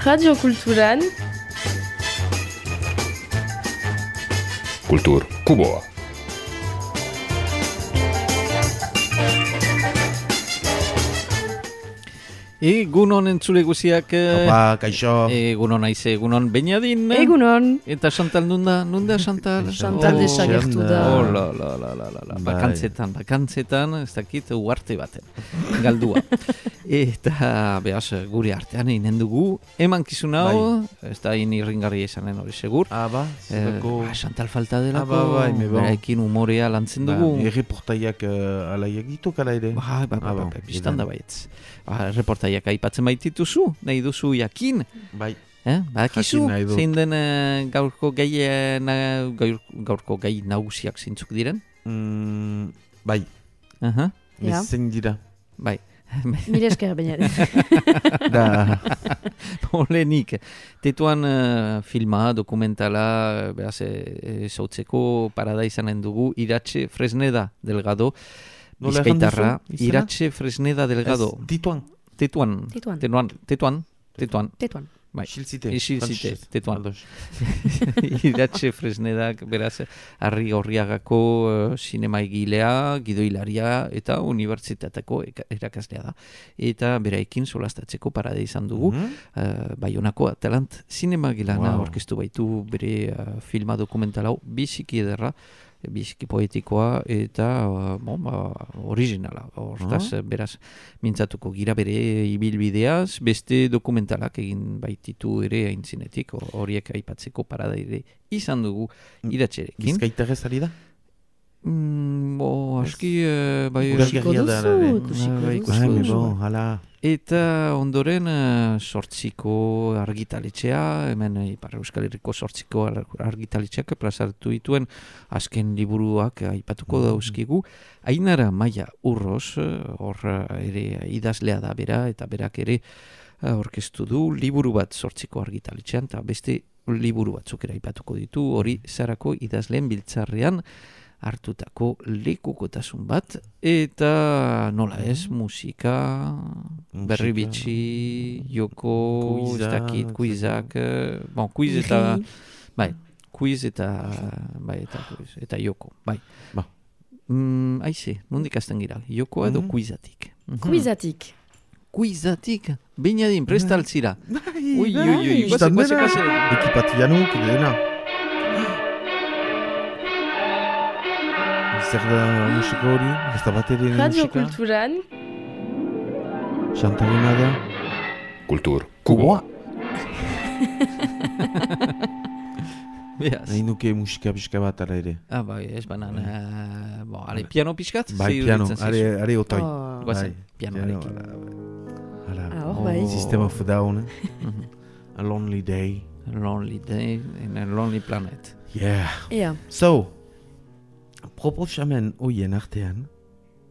Radio Kulturan Kultur Kuboa. Egunon entzule guziak. Kaixo. Egunon aize, egunon Beñadin. Egunon. Eta Chantal nunda Chantal? Chantal desagertu da. Bakantzetan, ez dakit, uarte baten. Galdua. Eta, behaz, gure artean inen dugu. Emankizun hau, ez da inirringarri esanen hori segur. Chantal falta delako. Beraekin umorea lantzen dugu. Erreportaiak alaiak ditu kala ere. Biztan da baietz. Reportaiak aipatzen baitituzu, nahi duzu jakin. Bai. Badakizu, zein den gaurko gai nagusiak zeintzuk diren? Bai. Zein dira. Bai. Mire esker Beñadin. Polenik. Tetuan filma, dokumentala, beraz, zautzeko parada izanen dugu, Iratxe Fresneda Delgado, Bizkaitarra, Iratxe Fresneda Delgado. Tetuan. Bai. Xilzite, Tetuan. Iratxe Fresnedak, beraz, Arri Gorriagako sinema egilea, gidoilaria eta unibertsitateko erakaslea da. Eta beraekin solastatzeko parade izan dugu. Baionako Atalant sinema gilana orkestu baitu bere filma dokumental hau biziki ederra, biziki poetikoa eta originala. Hortaz, beraz, mintzatuko gira bere ibilbideaz, beste dokumentalak egin baititu ere aintzinetik, horiek aipatzeko parada ere izan dugu Iratxerekin. Bizkaitarrez ari da? Aski, ikusiko duzu. Eta ondoren sortziko argitaletxea, hemen Ipar Euskal Herriko sortziko argitaletxeak plazartu dituen azken liburuak aipatuko dauzkigu. Ainara Maia Urroz, hor ere idazlea da bera, eta berak ere orkestu du liburu bat sortziko argitaletxean, eta beste liburu batzuk ere aipatuko ditu, hori Zarako idazleen biltzarrean hartutako lekukotasun bat, eta nola ez, musika, berri bitxi, joko, ez dakit, kuizak, kuiz eta, kuiz eta joko, bai. Aize, nondik azten gira, jokoa edo kuizatik? Kuizatik, Beñadin, prestaltzira. Ui, guaze. Ekipatianuk, dena. Zer da musika hori? Ez da bat ere musika? Radio Kulturan Chantalena da? Kultur Kuboa. Nahi nuke musika pixka bat ala ere. Bai, ez banan. Piano pixkat? Bai, piano, are otai. Guazen, pianoarekin. System of a Down. A Lonely Day. A Lonely Day in a Lonely Planet. Yeah. So, proposamen hoien artean,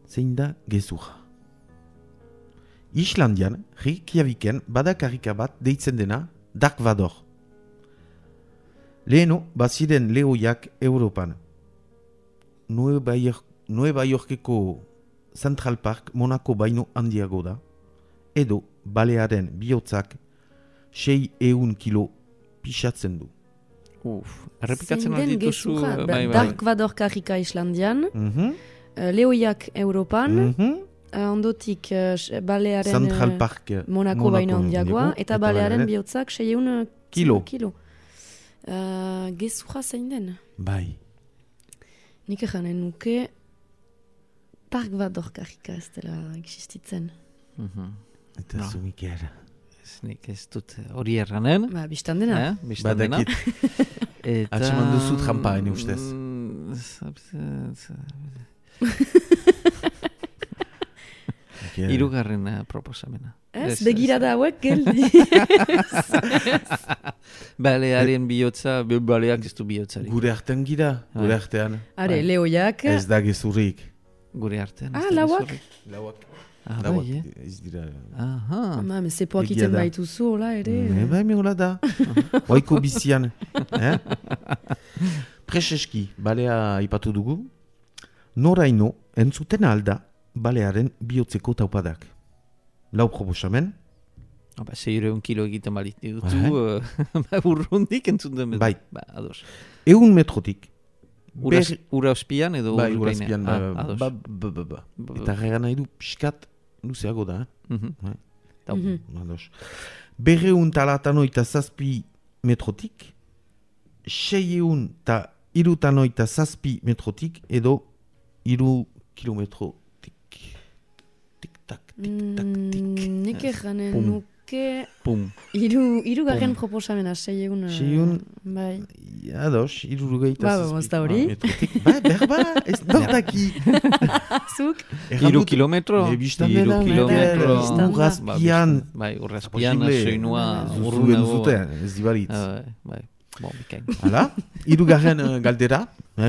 zein da gezurra. Islandian, Reykjaviken badakarrika bat deitzen dena Dark Vador. Leheno, baziren lehoiak Europan. Nueva Yorkeko Central Park Monaco baino handiago da, edo balearen bihotzak 600 kilo pixatzen du. Errepikatzen aldituzu. Dark Vador karrika Islandian, lehoiak Europan, ondotik balearen Central Park Monaco baino handiagoa, eta balearen bihotzak 600 kilo. Gezurra zein den? Bai. Nik eganen nuke Dark Vador karrika ez dela existitzen. Eta zumik era. Nik ez dut hori erranen. Bistan dena. Badakit. Atxeman duzu trampa, ene ustez. Hirugarren proposamena. Ez, begirada hauek geldi. Balearen bihotza, baleak ez du bihotzari. Gure artean gira, gure artean. Are, lehoiak. Ez da gezurrik. Gure artean. Lauak? Lauak. Ez dira. Zepoak iten baituzu, hola ere. Bai, hola da. Oiko bizian. Preseski, balea ipatu dugu. Noraino, entzuten alda, balearen bihotzeko taupadak. Lau proposamen. 600 kilo egiten balit dutu, urrundik entzun den. Bai. Ados. 100 metrotik. Ura ospian edo Bai, ura ospian. ados. Eta regan nahi du pixkat luzeago da. Ados. 297 metrotik, 697 metrotik edo 3 kilometrotik. Tik-tak, tik-tak, tik. Nik eganen Pum. nuke... Pum. Irugarren proposamena, 600... Bai. Ados, 397 Ba, ez da hori? metrotik. Bai, berba, ez nordaki. Zuk? 3 kilometro? 3 kilometro. Urrazpian. Bai, urrazpian, Posible. soinua, Zuen urrunago. zuten, ez dibaritz. Bai, bon, bikain. Hala, hirugarren galdera,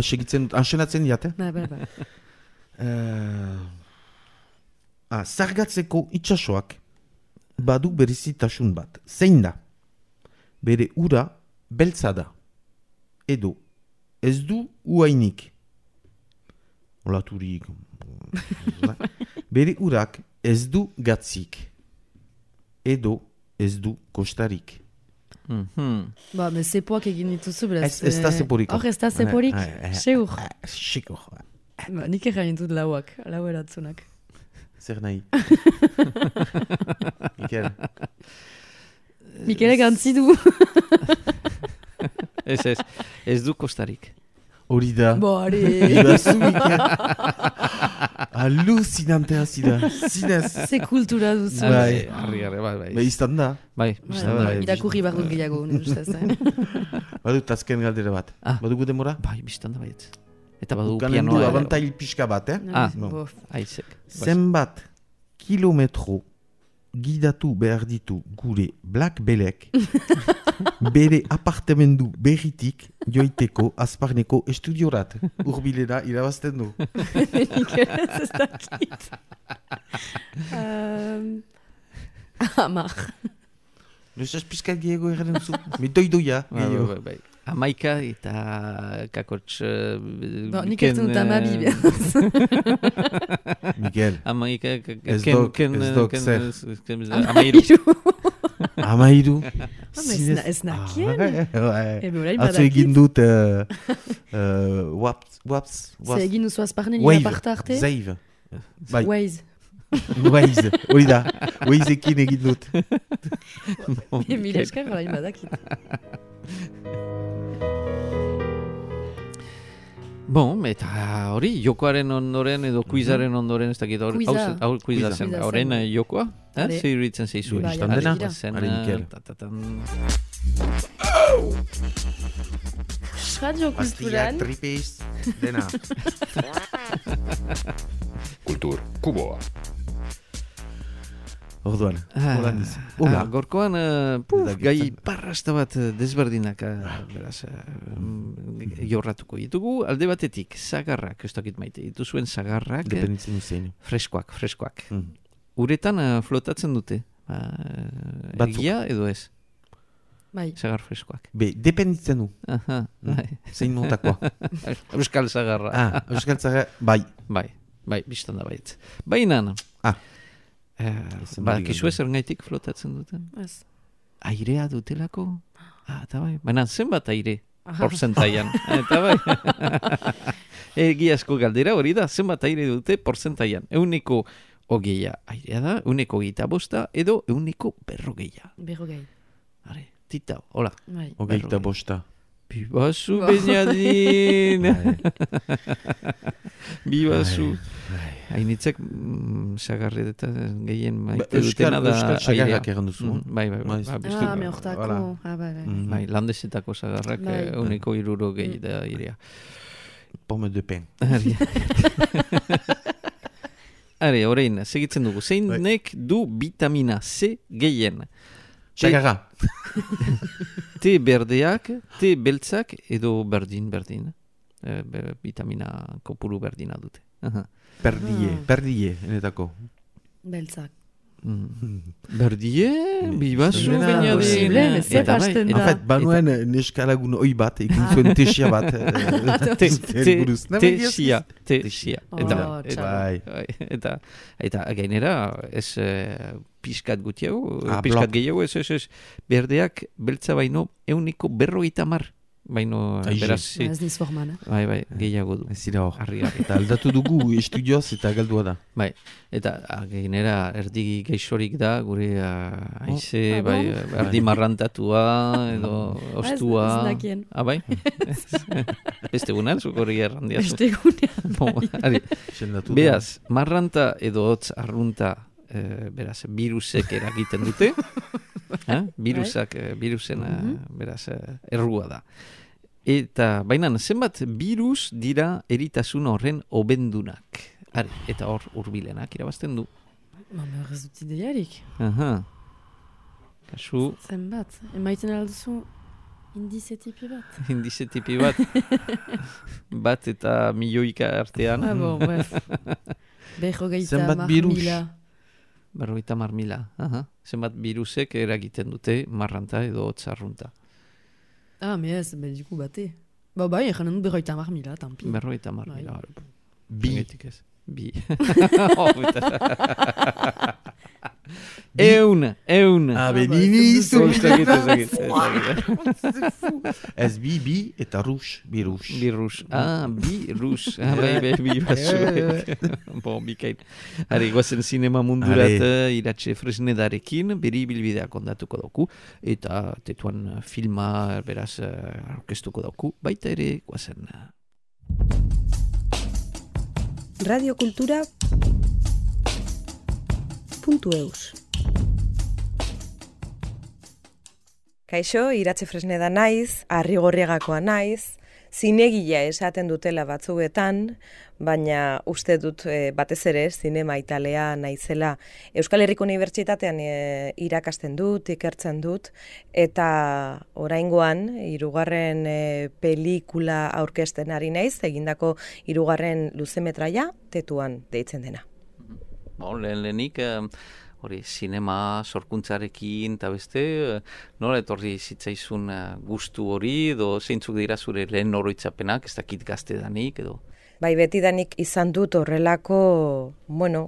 segitzen, ansenatzen diate. Bai. Zargatzeko itsasoak badu berezitasun bat. Zein da? Bere ura beltza da. Edo, ez du uainik. Olaturik. Bere urak ez du gatzik. Edo, ez du kostarik. Ba, zepoak egin dituzu, beraz. Ez da zeporiko. Hor, ez da zeporik? Seur. Sikur. Ba, nik egin ditut lauak, lau eratzunak. Zer nahi? Mikel. Mikele gantzi du. Ez du kostarik. Hori da. Bo, are. Ibazu, Mikel. Alucinantea zida. Zinez. Ze kultura duzu. Bai. Bai. Iztan da. Bai, Irakurri barrut gehiago, nire ustez. Badut azken galdera bat. Badugu demora? bai, biztan da baiet. Eta badu Ganen du pianoa. abantail pixka bat, Bof. Aizek. Zenbat kilometro gidatu behar ditu gure Black Belek bere apartamendu berritik joiteko azparneko estudiorat. Urbilera irabazten du. Ez dakit. Amar. Luzaz pixkat gehiago erren zu. Doidoia gehiago. Bai. Amaika eta kakotx... Nik ez dut amabi. Miguel. Amaika... Ez dok zer. Amairu. Amairu. Ez nakien. Atzo egin dut waps. Ze egin duzu azparnen Wave. iraparta arte? Zaiv. Waze. Waze. Hori da. Wazeekin egin dut. Mila eskar garain badakit. Bon, eta hori, jokoaren ondoren edo kuizaren ondoren, ez dakit hori, kuiza zen, horren jokoa, zer iruditzen zeizu. Bai, Istan dena? Ari Mikel. Radio Pastillak, kulturan. tripez, dena. Kultur Kuboa. Orduan, holandiz. Gorkoan, gai parrasta bat desberdinak, beraz, jorratuko ditugu. Alde batetik, zagarrak, ez dakit maite dituzuen zagarrak, Dependitzen duzen. freskoak. Uretan flotatzen dute, Batzuk. egia edo ez, Bai. zagar freskoak. Dependitzen du. Zein motakoa. Euskal zagarra. Euskal Zara, bai. Bai, biztan da baiet. Bainan, kizu ez ergaitik flotatzen duten? Ez. Airea dutelako? Eta bai, baina zenbat aire? Porzentaian. Eta bai. Egiazko galdera hori da, zenbat aire dute porzentaian. 120 airea da, 125 edo 140. 40. Are, tita, hola. Bai. 25. Bibazu, Beñadin! Bibazu. Hainitzek sagarre eta gehien maite dutena da Euskal sagarrak egan duzu. Bai. Me hortako. Bai, landesetako sagarrak Bai. 160 da irea. Pomme de pen. Are, orain, segitzen dugu. Zeinek du vitamina C gehien? Sagarra. Te berdeak, te beltzak edo berdin. Vitamina kopuru berdina dute. Perdie, enetako. Beltzak. Berdie, bibazu, Zena, baina posible, zer hasten da. En fait, banuen neskalagun oi bat, egin zuen tesia bat. Tesia. Oh, Eta gainera, ez pixkat gutiago, blok. pixkat gehiago, ez, berdeak beltza baino 150 baino, Aixe. beraz, Ez niz forman. bai, gehiago du. Ez dira hor. Harri. Eta aldatu dugu estudioz eta galdua da. Bai, eta gainera erdi geixorik da, gure haize, bon? erdi marrantatua, edo ostua. Ez dakien. Bai? Beste gunan, zuko hori errandiazu. Beste gunean. Sendatu da. Beaz, marranta edo hotz arrunta, beraz, virusek eragiten dute. Virusen, beraz, errua da. Eta, baina, zenbat virus dira eritasun horren obendunak. Eta hor urbilenak irabazten du. Mama, ez dut ideiarik. Aha. Kasu, Zenbat, emaiten alduzu indize tipi bat. indize tipi bat. Bat eta milioika artean. Bon, bref. Berrogeita Zenbat mar virus? mila. 50.000. Aha. Zenbat virusek eragiten dute marranta edo hotz arrunta. Me ez, mediku bate. Bai, egin dut berrogeita mar mila, tampi. 50.000. Bi. Zergatik ez? Bi. Eun. Benini izu. Ez Ez bi eta rus, birus. Birus. Birus. Bai, Bon, bikain. Hari, guazen zinema mundurat Iratxe Fresnedarekin, beri bilbideak ondatuko dauku, eta tetuan filma, beraz, orkestuko dauku, baita ere, guazen. radiokultura.eus Kaixo, Iratxe Fresneda naiz, Arrigorriagakoa naiz, zinegila esaten dutela batzuetan, baina uste dut batez ere zinema italea naizela. Euskal Herriko Unibertsitatean irakasten dut, ikertzen dut, eta oraingoan, 3. pelikula aurkezten ari naiz, egindako 3. luzemetraia, Tetuan deitzen dena. Lehenik, hori, zinema sorkuntzarekin, eta beste, nola etorri zitzaizun gustu hori, edo zeintzuk dira zure lehen oroitzapenak, ez dakit gaztedanik, edo? Bai, betidanik izan dut horrelako,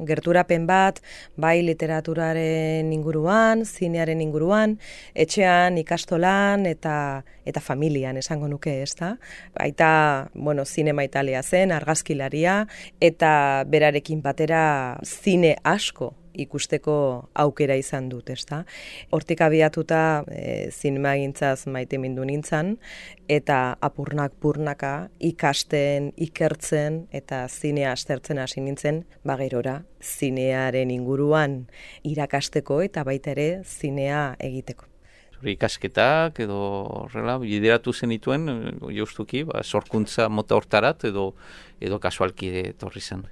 gerturapen bat, bai literaturaren inguruan, zinearen inguruan, etxean, ikastolan eta familian esango nuke, ezta? Aita, zinema italia zen, argazkilaria, eta berarekin batera zine asko ikusteko aukera izan dut, ezta? Hortik abiatuta zinemagintzaz maite mindu nintzan, eta apurnak-purnaka ikasten, ikertzen, eta zinea aztertzen hasi nintzen, gerora, zinearen inguruan irakasteko eta baita ere zinea egiteko. Zure ikasketak edo horrela, bideratu zenituen, justuki, sorkuntza mota hortarat edo kasualki etorri zen.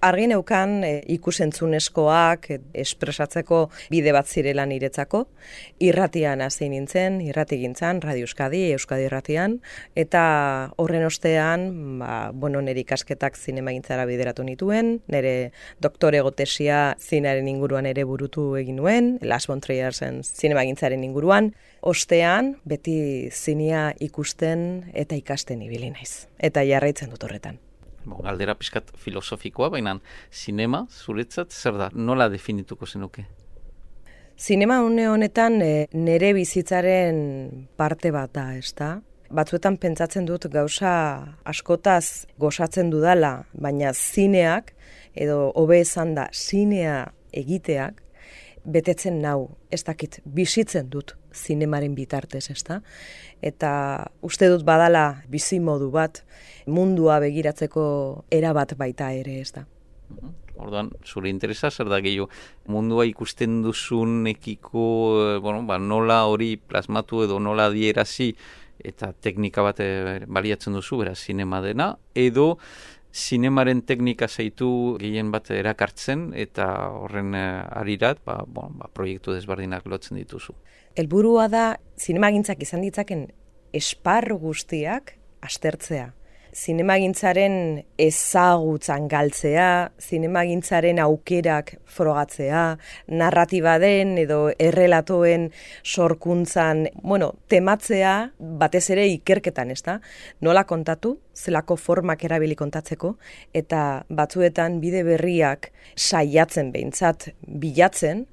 Argi neukan ikusentzunezkoak espresatzeko bide bat zirela niretzako. Irratian hasi nintzen, irratigintzan, Radio Euskadi, Euskadi Irratian, eta horren ostean, nire ikasketak zinemagintzara bideratu nituen, nire doktorego tesia zinearen inguruan ere burutu egin nuen, Las von Triersen zinemagintzaren inguruan. Ostean, beti zinea ikusten eta ikasten ibili naiz. Eta jarraitzen dut horretan. Galdera pixkat filosofikoa, baina zinema, zuretzat, zer da, nola definituko zenuke? Zinema honetan nire bizitzaren parte bat da, ezta? Batzuetan pentsatzen dut gauza askotaz gozatzen dudala, baina zineak, edo hobe esan da, zinea egiteak, betetzen nau, ez dakit, bizitzen dut zinemaren bitartez, ezta? Eta uste dut badala bizimodu bat, mundua begiratzeko erabat baita ere, ezta? Orduan, zure interesa zer da gehiago, mundua ikusten duzun ekiko, nola hori plasmatu edo nola adierazi eta teknika bat baliatzen duzu, beraz, zinema dena, edo zinemaren teknika zaitu gehien bat erakartzen eta horren arirat, proiektu desberdinak lotzen dituzu. Helburua da zinemagintzak izan ditzaken esparru guztiak aztertzea. zinemagintzaren ezagutzan galtzea, zinemagintzaren aukerak frogatzea, narratiba den edo errelatoen sorkuntzan, tematzea batez ere ikerketan, ezta? Nola kontatu, zelako formak erabili kontatzeko, eta batzuetan bide berriak saiatzen behintzat bilatzen,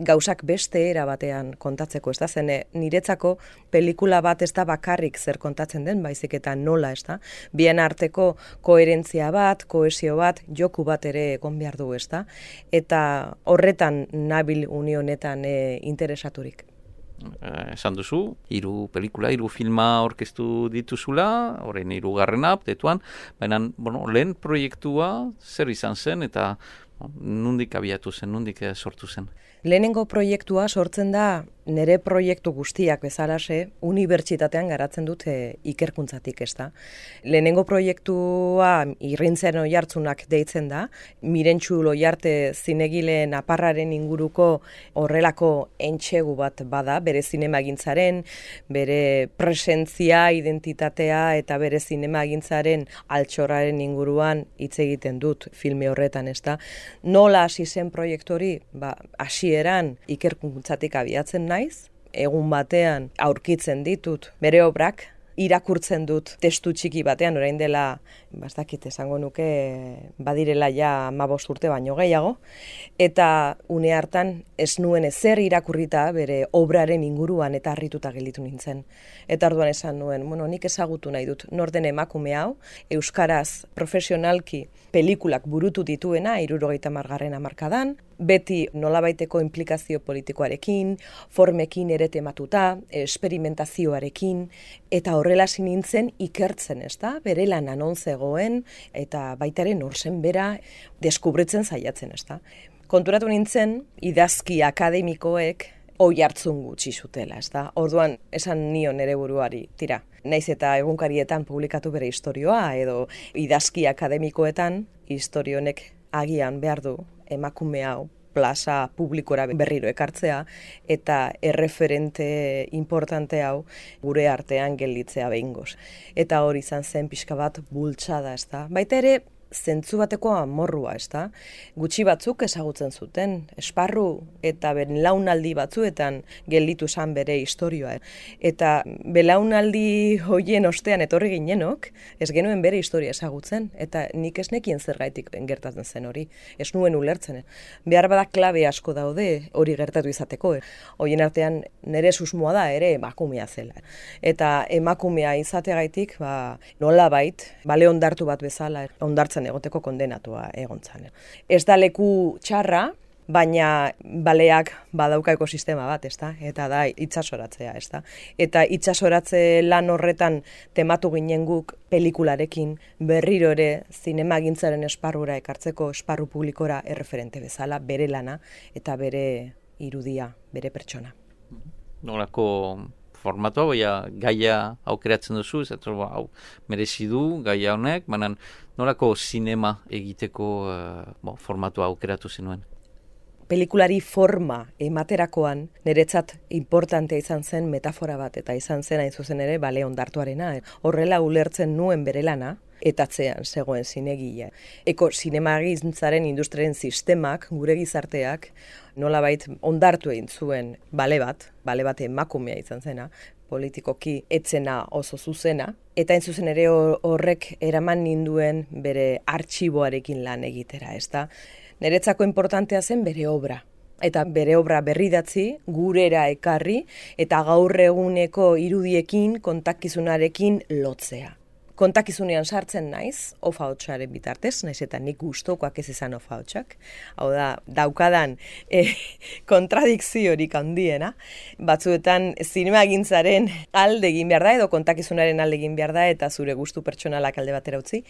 gauzak beste era batean kontatzeko, ez da? Zen niretzako pelikula bat ez da bakarrik zer kontatzen den, baizik eta nola, ez da? Bien arteko koherentzia bat, kohesio bat, joku bat ere egon behar du, ez da? Eta horretan nabil unionetan interesaturik. Esan duzu, 3 pelikula, 3 filma orkestu dituzula, horren 3. tetuan, baina, lehen proiektua zer izan zen eta nondik abiatu zen, nondik sortu zen? Lehenengo proiektua sortzen da nire proiektu guztiak bezalase unibertsitatean garatzen dut ikerkuntzatik, ez da. Lehenengo proiektua Irrintzen Oiartzunak deitzen da, Mirentxu Loiarte zinegileen aparraren inguruko horrelako entxegu bat bada, bere zinemagintzaren, bere presentzia, identitatea eta bere zinemagintzaren altxorraren inguruan hitz egiten dut filme horretan, ez da. Nola hasi zen proiektu hori? Hasieran ikerkuntzatik abiatzen naiz, egun batean aurkitzen ditut bere obrak, irakurtzen dut testu txiki batean, orain dela, bastakit esango nuke, badirela ja 15 urte baino gehiago, eta une hartan ez nuen ezer irakurrita bere obraren inguruan eta harrituta gelditu nintzen. Eta orduan esan nuen, nik ezagutu nahi dut, nor den emakume hau, euskaraz profesionalki pelikulak burutu dituena, 70. hamarkadan, beti nolabaiteko implikazio politikoarekin, formekin ere tematuta, esperimentazioarekin, eta horrela nintzen ikertzen, ez da? Bere lan anon zegoen, eta baitaren orzen bera deskubritzen saiatzen, ez da? Konturatu nintzen, idazki akademikoek oihartzun gutxi zutela, ez da? Orduan, esan nion nere buruari, tira, naiz eta egunkarietan publikatu bere istorioa, edo idazki akademikoetan, istorionek agian behar du emakume hau plaza publikora berriro ekartzea eta erreferente importante hau gure artean gelditzea behingoz. Eta hori izan zen pixka bat bultzada, ez da? Baita ere, zentzu bateko amorrua, ez da? Gutxi batzuk ezagutzen zuten, esparru eta belaunaldi batzuetan gelditu zen bere istorioa. Eta belaunaldi hoien ostean etorri ginenok, ez genuen bere historia ezagutzen, eta nik ez nekien zergaitik gertatzen zen hori, ez nuen ulertzen. Behar bada klabe asko daude hori gertatu izateko. Horien artean nire susmoa da ere emakumea zela. Eta emakumea izateagaitik, nolabait, bale ondartu bat bezala, ondartzen egoteko kondenatua egontzan. Ez da leku txarra, baina baleak badauka ekosistema bat, ezta? Eta da itsasoratzea, ezta? Eta itsasoratze lan horretan tematu ginen guk pelikularekin berriro ere zinemagintzaren esparrura ekartzeko esparru publikora erreferente bezala, bere lana eta bere irudia, bere pertsona. Nolako formatua, gaia aukeratzen duzu, ez hau merezi du gaia honek, baina nolako zinema egiteko formatua aukeratu zenuen? Pelikulari forma ematerakoan niretzat importantea izan zen metafora bat, eta izan zen hain zuzen ere bale ondartuarena. Horrela ulertzen nuen bere lana, eta atzean zegoen zinegile. Zinemagintzaren industriaren sistemak, gure gizarteak, nolabait ondartu egin zuen bale bat emakumea izan zena, politikoki etzena oso zuzena, eta hain zuzen ere horrek eraman ninduen bere artxiboarekin lan egitera, ezta? Niretzako importantea zen bere obra. Eta bere obra berridatzi, gurera ekarri, eta gaur eguneko irudiekin, kontakizunarekin lotzea. Kontakizunean sartzen naiz, ofa-hotsaren bitartez, naiz eta nik gustokoak ez izan ofa-hotsak. Hau da, daukadan kontradikziorik handiena. Batzuetan zinemagintzaren alde egin behar da, edo kontakizunaren alde egin behar da, eta zure gustu pertsonalak alde batera utzi,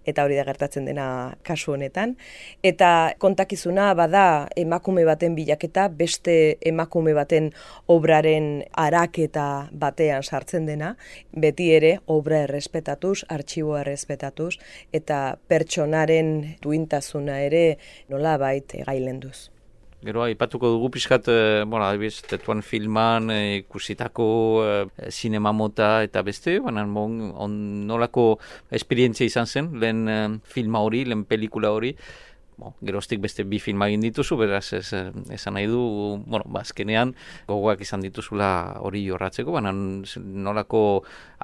eta hori da gertatzen dena kasu honetan. Eta kontakizuna bada emakume baten bilaketa, beste emakume baten obraren araketa batean sartzen dena, beti ere obra errespetatuz, artxiboa errespetatuz, eta pertsonaren duintasuna ere nolabait gailenduz. Gero, aipatuko dugu pixkat, adibidez, Tetuan filman ikusitako sinema mota eta beste, baina nolako esperientzia izan zen, lehen filma hori, lehen pelikula hori. Geroztik beste 2 filma egin dituzu, beraz esan nahi du, azkenean gogoak izan dituzula hori jorratzeko, baina nolako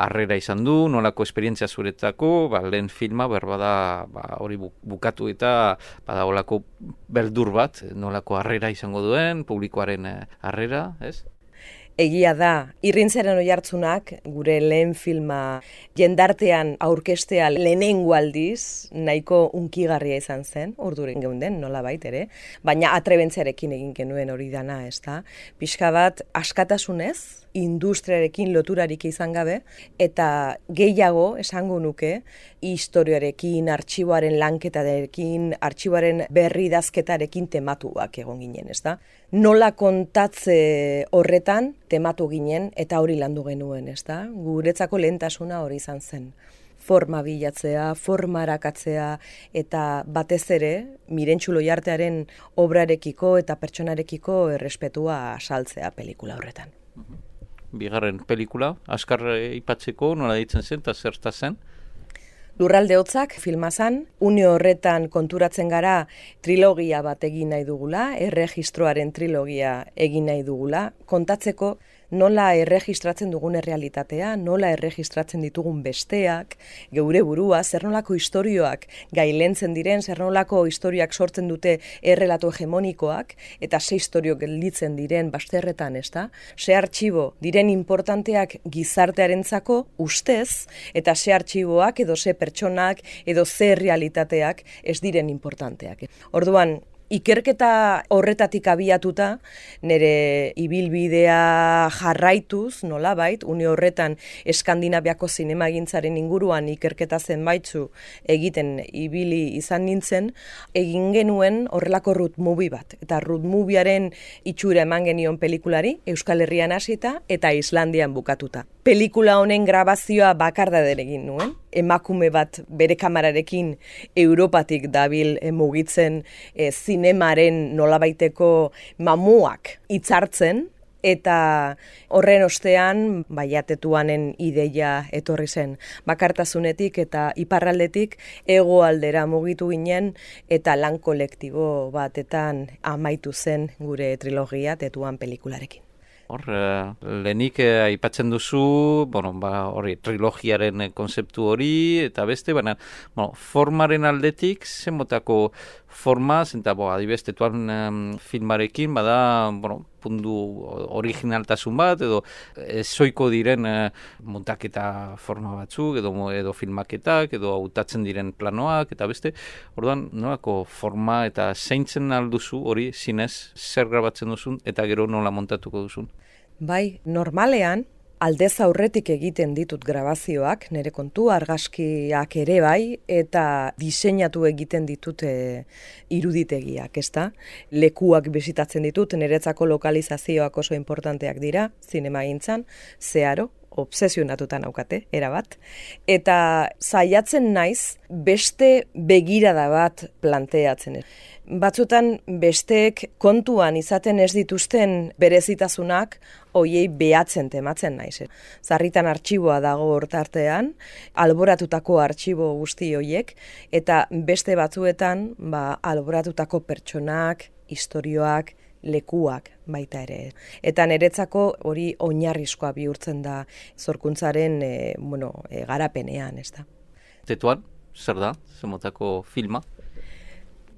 harrera izan du, nolako esperientzia zuretako, lehen filma berbada hori bukatu eta bada olako beldur bat, nolako harrera izango duen, publikoaren harrera, ez? Egia da, Irrintzaren Oihartzunak gure lehen filma jendartean aurkestea lehenengo aldiz nahiko unkigarria izan zen, urduren geunden, nolabait ere, baina atrebentziarekin egin genuen hori dana, ez da? Pixka bat askatasunez, industriarekin loturarik izan gabe, eta gehiago esango nuke, historiarekin, artxiboaren lanketarekin, artxiboaren berridazketarekin tematuak egon ginen, ez da? Nola kontatze horretan tematu ginen eta hori landu genuen, ez da? Guretzako lehentasuna hori izan zen. Forma bilatzea, forma arakatzea eta batez ere, Mirentxu Loiartearen obrarekiko eta pertsonarekiko errespetua saltzea pelikula horretan. Bigarren pelikula, askar ipatzeko, nola ditzen zen eta zerta zen? Lurralde Hotzak filma zan, une horretan konturatzen gara trilogia bat egin nahi dugula, erregistroaren trilogia egin nahi dugula, kontatzeko nola erregistratzen dugun errealitatea, nola erregistratzen ditugun besteak, geure burua, zer nolako istorioak gailentzen diren, zer nolako istorioak sortzen dute errelato hegemonikoak, eta ze istorio gelditzen diren bazterretan, ez da? Ze artxibo diren importanteak gizartearentzako ustez, eta ze artxiboak edo ze pertsonak edo ze realitateak ez diren importanteak. Orduan, ikerketa horretatik abiatuta, nire ibilbidea jarraituz, nolabait, une horretan Eskandinaviako zinemagintzaren inguruan ikerketa zenbaitzu egiten ibili izan nintzen, egin genuen horrelako road movie bat. Eta road moviearen itxura eman genion pelikulari, Euskal Herrian hasita eta Islandian bukatuta. Pelikula honen grabazioa bakardader egin nuen, emakume bat bere kamerarekin Europatik dabil mugitzen zinemaren nolabaiteko mamuak hitzartzen, eta horren ostean Tetuanen ideia etorri zen. Bakartasunetik eta iparraldetik hegoaldera mugitu ginen eta lan kolektibo batetan amaitu zen gure trilogia Tetuan pelikularekin. Hor, lehenik aipatzen duzu, hori, trilogiaren konzeptu hori, eta beste, baina, formaren aldetik, zenbotako forma, zenta, adibidez, Tetuan filmarekin, bada, puntu originaltasun bat, edo zoiko diren montaketa forma batzuk, edo filmaketak, edo hautatzen diren planoak, eta beste, orduan, nolako forma eta zeintzen alduzu hori, zinez, zer grabatzen duzun, eta gero nola montatuko duzun? Bai, normalean, aldez aurretik egiten ditut grabazioak, nire kontu, argazkiak ere bai, eta diseinatu egiten ditut iruditegiak, ezta? Lekuak bisitatzen ditut, niretzako lokalizazioak oso importanteak dira, zinemagintzan, zeharo, obsesionatuta naukate, erabat. Eta saiatzen naiz, beste begirada bat planteatzen. Batzutan besteek kontuan izaten ez dituzten berezitasunak hoiei behatzen tematzen naiz. Zarritan artxiboa dago hortartean, alboratutako artxibo guzti hoiek, eta beste batzuetan alboratutako pertsonak, istorioak, lekuak baita ere. Eta niretzako hori oinarrizkoa bihurtzen da zorkuntzaren garapenean, ez da. Tetuan, zer da, zemotako filma?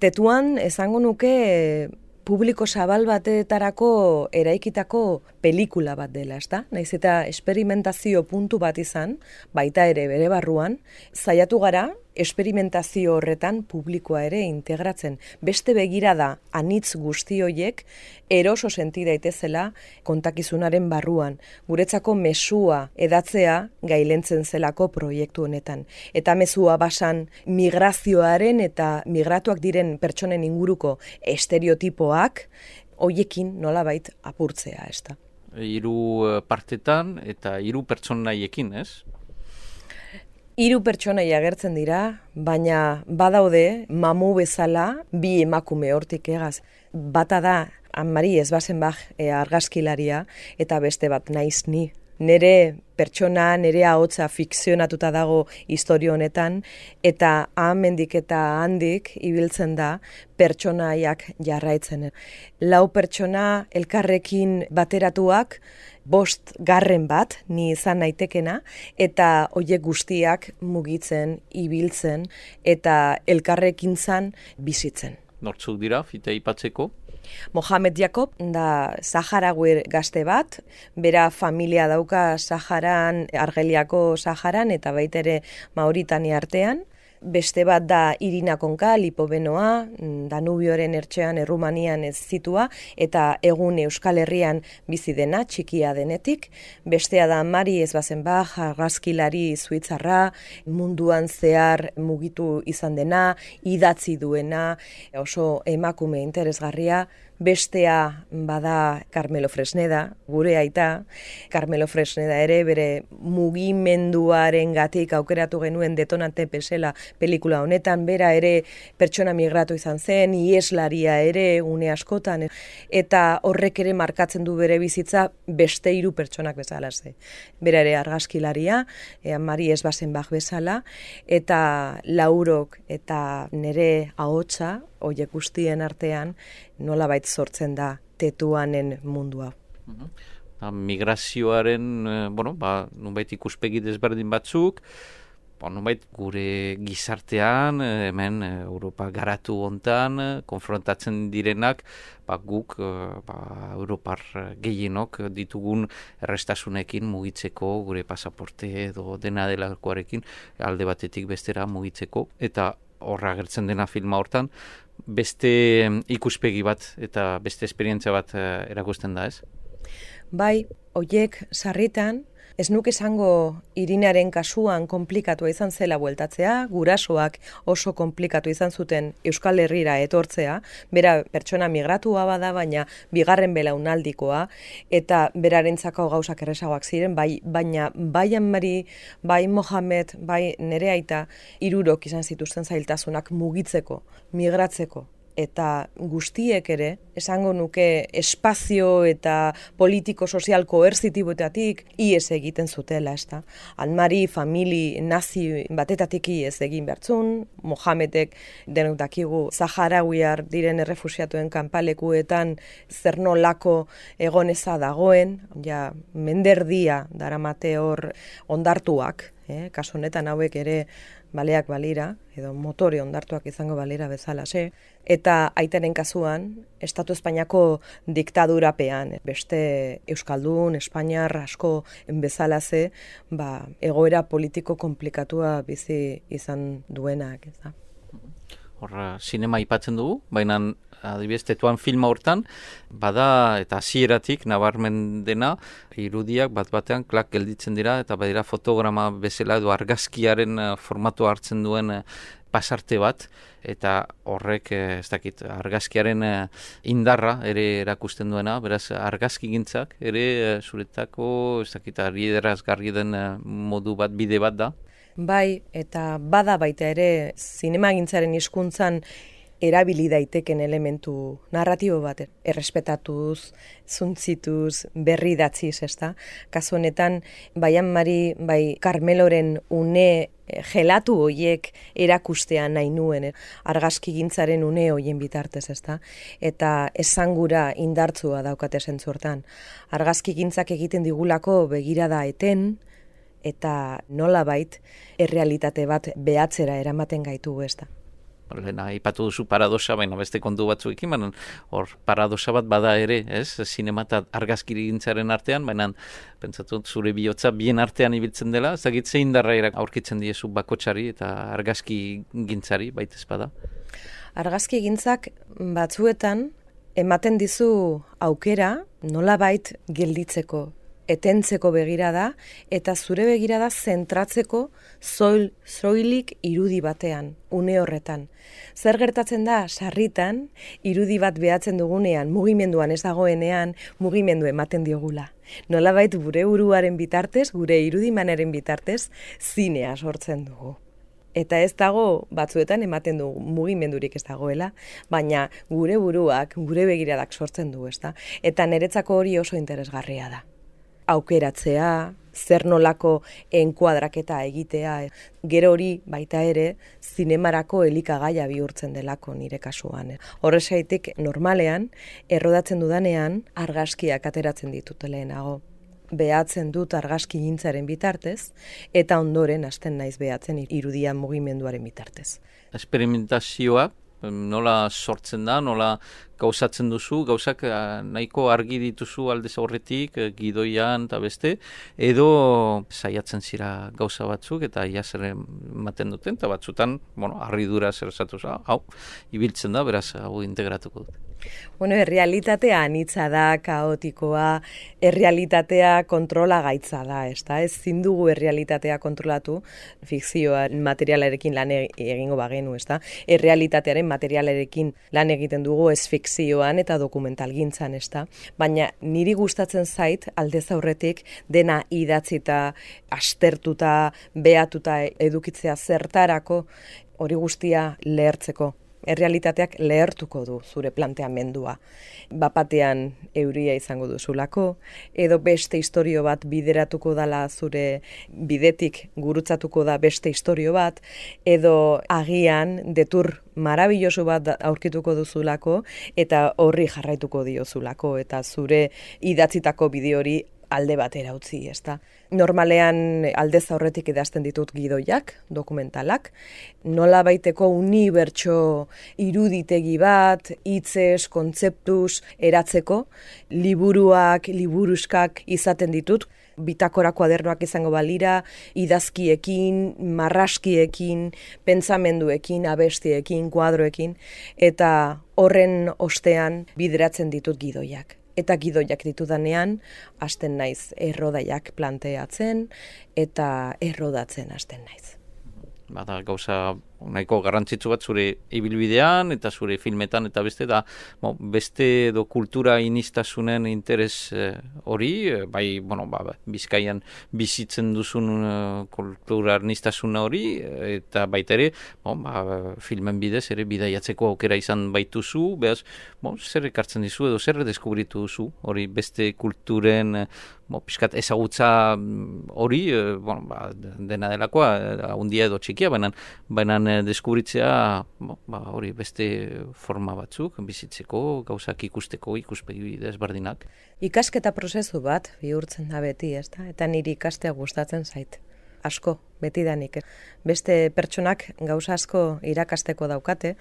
Tetuan, esango nuke publiko zabal batetarako eraikitako pelikula bat dela, ez da? Naiz eta esperimentazio puntu bat izan, baita ere bere barruan, saiatu gara, esperimentazio horretan publikoa ere integratzen. Beste begirada anitz guzti hoiek eroso senti daitezela kontakizunaren barruan. Guretzako mezua edatzea gailentzen zelako proiektu honetan. Eta mezua basan migrazioaren eta migratuak diren pertsonen inguruko estereotipoak hoiekin nolabait apurtzea, ez da. 3 partetan eta 3 pertsonaiekin, ez? Hiru pertsonai agertzen dira, baina badaude mamu bezala bi emakume hortik egaz. Bata da Anne-Marie Esbasenbach argazkilaria eta beste bat naiz ni. Nere pertsona, nere ahotsa fikzionatuta dago istorio honetan eta hemendik eta handik ibiltzen da pertsonaiak jarraitzen. 4 pertsona elkarrekin bateratuak, 5 garren bat, ni izan naitekena, eta hoiek guztiak mugitzen, ibiltzen eta elkarrekintzan bizitzen. Nortzuk dira, fite aipatzeko? Mohamed Jacob da Saharaui gazte bat, bera familia dauka Saharan, Argeliako Saharan eta baita ere Mauritania artean. Beste bat da Irina Konka, Lipobenoa, Danubioren ertzean Errumanian ez zitua, eta egun Euskal Herrian bizi dena, txikia denetik. Bestea da Anne-Marie Esbasenbach, argazkilari suitzarra, munduan zehar mugitu izan dena, idatzi duena, oso emakume interesgarria. Bestea bada Carmelo Fresneda, gure aita. Carmelo Fresneda ere bere mugimenduaren gatik aukeratu genuen Detonante bezala pelikula honetan, bera ere pertsona migratu izan zen, ieslaria ere une askotan, eta horrek ere markatzen du bere bizitza beste 3 pertsonak bezala ze. Bera ere argazkilaria, Anne-Marie Esbasenbach bezala, eta Laurok eta nere ahotsa, hoiek guztien artean, nolabait sortzen da tetuanen mundua. Migrazioaren, nonbait ikuspegi desberdin batzuk, nonbait gure gizartean, hemen Europa garatu hontan, konfrontatzen direnak, guk Europar gehienok ditugun errestasunekin mugitzeko, gure pasaporte edo dena delakoarekin, alde batetik bestera mugitzeko, eta horra agertzen dena filma hortan, beste ikuspegi bat eta beste esperientzia bat erakusten da, ez? Bai, hoiek sarritan, ez nuke esango Irinaren kasuan konplikatua izan zela bueltatzea, gurasoak oso konplikatu izan zuten Euskal Herrira etortzea, bera pertsona migratua bada, baina bigarren belaunaldikoa, eta berarentzako gauzak erresagoak ziren, baina bai Anne-Marie, bai Mohamed, bai nere aita, 3 izan zituzten zailtasunak mugitzeko, migratzeko. Eta guztiek ere, esango nuke espazio eta politiko-sozial koerzitiboetatik ies egiten zutela, ez da. Anne-Marie famili nazi batetatik ies egin bertzun, Mohamedek denok dakigu Saharauiar diren errefusiatuen kanpalekuetan zer nolako egoneza dagoen, ja menderdia daramate hor ondartuak, kasu honetan hauek ere baleak balira, edo motore ondartuak izango balira bezala, eta aitaren kasuan, Estatu Espainiako diktadurapean, beste Euskaldun, Espainiar asko bezala egoera politiko konplikatua bizi izan duenak, ez da. Horra, sinema aipatzen dugu, baina adibidez tetuan filma hortan, bada eta hasieratik nabarmen dena, irudiak bat-batean klak gelditzen dira, eta badira fotograma bezala edo argazkiaren formatua hartzen duen pasarte bat, eta horrek, ez dakit, argazkiaren indarra ere erakusten duena, beraz argazkigintzak ere zuretako, ez dakit, argiderazgarri den modu bat, bide bat da. Bai, eta bada baita ere zinemagintzaren hizkuntzan erabili daiteken elementu narratibo bat, errespetatuz, zuntzituz, berri datziz, ez da? Kasu honetan, bai Anne-Marie, bai Carmeloren une gelatu hoiek erakustea nahi nuen, argazkigintzaren une hoien bitartez, ez da? Eta esangura indartzua daukate zentzu hortan. Argazkigintzak egiten digulako begirada eten, eta nolabait errealitate bat behatzera eramaten gaitu, ez da. Lehena, ipatu duzu paradoxa, baina beste kontu batzuekin, baina hor paradoxa bat bada ere, ez? Zinema eta argazkigintzaren artean, baina pentsatu zure bihotza bien artean ibiltzen dela, ez dakit zein darra aurkitzen diezu bakotsari eta argazkigintzari, baita ez bada? Argazkigintzak batzuetan ematen dizu aukera nolabait gelditzeko, etentzeko begirada, eta zure begirada zentratzeko zoilik irudi batean, une horretan. Zer gertatzen da, sarritan, irudi bat behatzen dugunean, mugimenduan ez dagoenean, mugimendu ematen diogula. Nolabait gure buruaren bitartez, gure irudimanaren bitartez, zinea sortzen dugu. Eta ez dago, batzuetan ematen du mugimendurik ez dagoela, baina gure buruak, gure begiradak sortzen du, ezta? Eta niretzako hori oso interesgarria da. Aukeratzea, zer nolako enkuadraketa egitea, gero hori baita ere zinemarako elikagaia bihurtzen delako nire kasuan. Horrexaitik normalean, errodatzen dudanean, argazkiak ateratzen ditut lehenago. Behatzen dut argazki gintzaren bitartez, eta ondoren hasten naiz behatzen irudian mugimenduaren bitartez. Esperimentazioa, nola sortzen da, nola gauzatzen duzu, gauzak nahiko argi dituzu aldez aurretik, gidoian eta beste, edo saiatzen zira gauza batzuk eta ia zer ematen duten, eta batzutan, harridura zer esatu, hau, ibiltzen da, beraz, hau integratuko dut. Errealitatea anitza da, kaotikoa, errealitatea kontrola gaitza da, ez zindugu errealitatea kontrolatu, fikzioa materialarekin lan egingo bagenu, errealitatearen materialarekin lan egiten dugu ez fikzioan eta dokumentalgintzan, baina niri gustatzen zait aldez aurretik dena idatzita, astertuta, behatuta edukitzea zertarako hori guztia lehertzeko. Errealitateak lehertuko du zure planteamendua. Bapatean euria izango duzulako, edo beste istorio bat bideratuko dala zure bidetik gurutzatuko da beste istorio bat, edo agian detur marabilloso bat aurkituko duzulako, eta horri jarraituko diozulako, eta zure idatzitako bide hori alde batera utzi, Normalean aldez aurretik idazten ditut gidoiak, dokumentalak, nola baiteko unibertso iruditegi bat, hitzez, kontzeptuz eratzeko, liburuak, liburuskak izaten ditut, bitakora kuadernoak izango balira, idazkiekin, marraskiekin, pentsamenduekin, abestiekin, kuadroekin, eta horren ostean bideratzen ditut gidoiak. Eta gidoiak ditudanean, hasten naiz errodaiak planteatzen eta errodatzen hasten naiz. Bada gauza nahiko garrantzitsu bat zure ibilbidean eta zure filmetan eta beste da beste edo kultura inistasunen interes hori, bai, Bizkaian bizitzen duzun kultura inistasuna hori eta baita ere, filmen bidez ere bidaiatzeko aukera izan baituzu, behaz, zer ekartzen dizu edo zer deskubritu duzu hori beste kulturen pixkat ezagutza hori, dena delakoa, handia edo txikia, baina deskubritzea hori beste forma batzuk, bizitzeko, gauzak ikusteko, ikuspegi desberdinak. Ikasketa prozesu bat bihurtzen da beti, eta niri ikastea gustatzen zait. Asko, betidanik. Beste pertsonak gauza asko irakasteko daukate,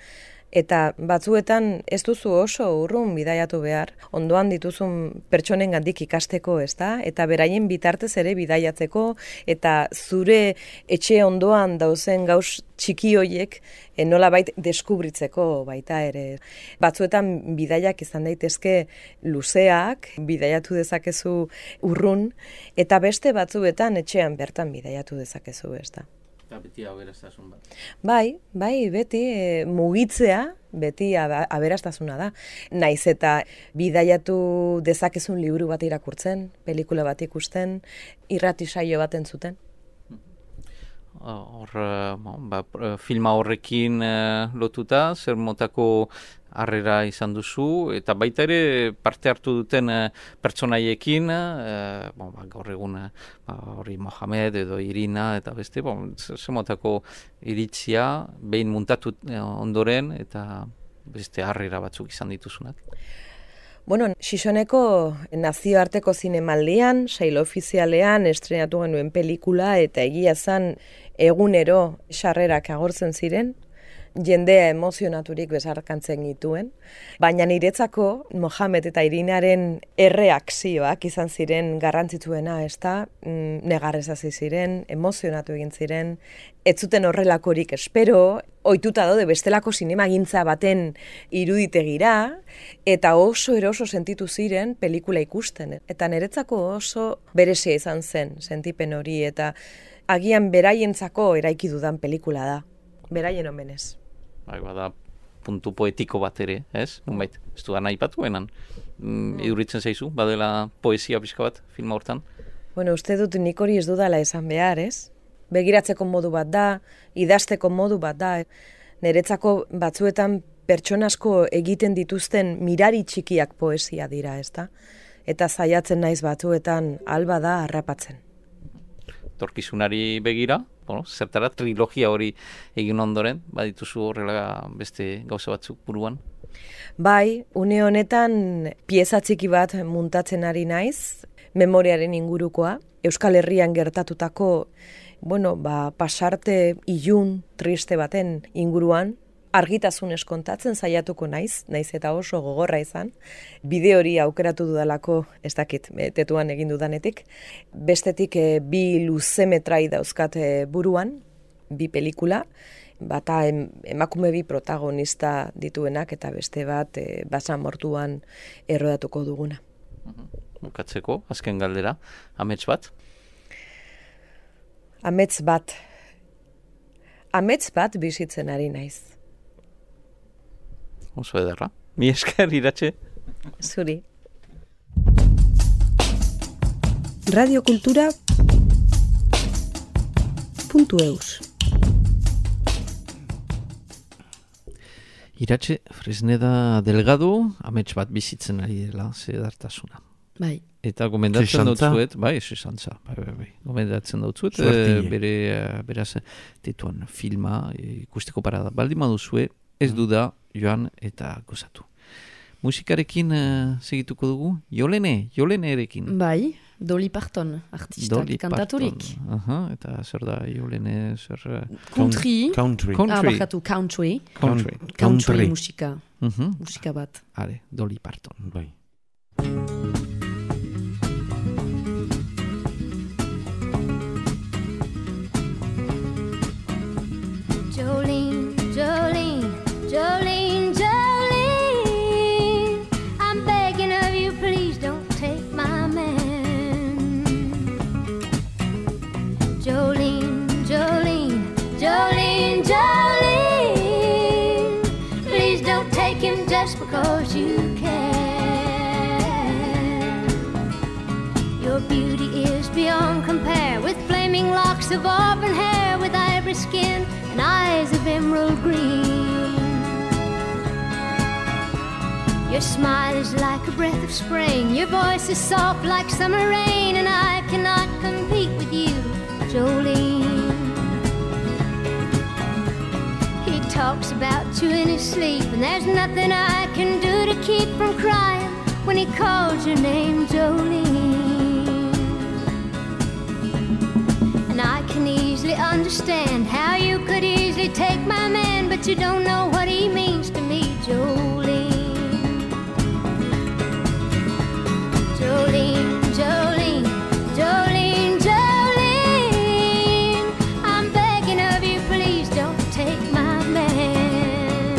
eta batzuetan ez duzu oso urrun bidaiatu behar, ondoan dituzun pertsonengandik ikasteko, eta beraien bitartez ere bidaiatzeko, eta zure etxe ondoan dauzen gauz txiki hoiek nolabait deskubritzeko baita ere. Batzuetan bidaiak izan daitezke luzeak, bidaiatu dezakezu urrun, eta beste batzuetan etxean bertan bidaiatu dezakezu, Eta beti aberastasun bat. Bai, beti mugitzea, beti aberastasuna da. Naiz eta bidaiatu dezakezun liburu bat irakurtzen, pelikula bat ikusten, irrati saio bat entzuten. Filma horrekin lotuta, zer motako harrera izan duzu, eta baita ere parte hartu duten pertsonaiekin, gaur egun hori Mohamed edo Irina, eta beste, zer motako iritzia, behin muntatu ondoren, eta beste harrera batzuk izan dituzunak. Xixoneko nazioarteko zinemaldian, sail ofizialean estrenatu genuen pelikula, eta egia zan egunero sarrerak agortzen ziren, jendea emozionaturik bezarkantzen gituen, baina niretzako Mohamed eta Irinaren erreakzioak izan ziren garrantzitsuena, ezta? Negarrez hasi ziren, emozionatu egin ziren, ez zuten horrelakorik espero, ohituta daude bestelako zinemagintza baten iruditegira, eta oso eroso sentitu ziren pelikula ikusten. Eta niretzako oso berezia izan zen sentipen hori, eta agian beraientzako eraiki dudan pelikula da, beraien omenez. Bai, bada puntu poetiko bat ere, ez? Nunbait, ez dudan aipatuenan. Iduritzen zaizu, badela poesia pixka bat filma hortan? Bueno, uste dut nik hori ez dudala esan behar, ez? Begiratzeko modu bat da, idazteko modu bat da. Niretzako batzuetan pertsonasko egiten dituzten mirari txikiak poesia dira, ezta? Eta saiatzen naiz batzuetan alba da harrapatzen. Torkizunari begira, bueno, zertara trilogia hori egin ondoren, badituzu horrela beste gauza batzuk buruan? Bai, une honetan pieza txiki bat muntatzen ari naiz, memoriaren ingurukoa, Euskal Herrian gertatutako, pasarte ilun triste baten inguruan, argitasunez kontatzen saiatuko naiz eta oso gogorra izan. Bide hori aukeratu dudalako, ez dakit, tetuan egin dudanetik. Bestetik bi luzemetrai dauzkat buruan, bi pelikula, bata emakume bi protagonista dituenak eta beste bat basamortuan errodatuko duguna. Bukatzeko, azken galdera, amets bat? Amets bat bizitzen ari naiz. Oso ederra. Mi esker, Iratxe. Zuri. Radiokultura.eus Iratxe Fresneda Delgado, amets bat bizitzen ari dela, zedartasuna. Bai. Eta gomendatzen dautzuet, bai, esantza, bai. Gomendatzen dautzuet, beraz, tetuan filma ikusteko parada. Baldin baduzue, ez duda joan eta gozatu. Musikarekin segituko dugu? Jolenerekin. Bai, Dolly Parton, artistak, kantaturik. Eta zer da Jolene, zer... Country. Country. Barkatu, country. Country musika. Musika bat. Hale, Dolly Parton. Bai. Jolene, Jolene, Jolene, Jolene, I'm begging of you, please don't take my man. Jolene, Jolene, Jolene, Jolene, please don't take him just because you can. Your beauty is beyond compare, with flaming locks of auburn hair, with ivory skin and eyes of emerald green. Your smile is like a breath of spring, your voice is soft like summer rain, and I cannot compete with you, Jolene. He talks about you in his sleep, and there's nothing I can do to keep from crying when he calls your name, Jolene. And I can easily understand how you could easily take my man, but you don't know what he means to me, Jolene. Jolene, Jolene, Jolene, Jolene, I'm begging of you, please don't take my man.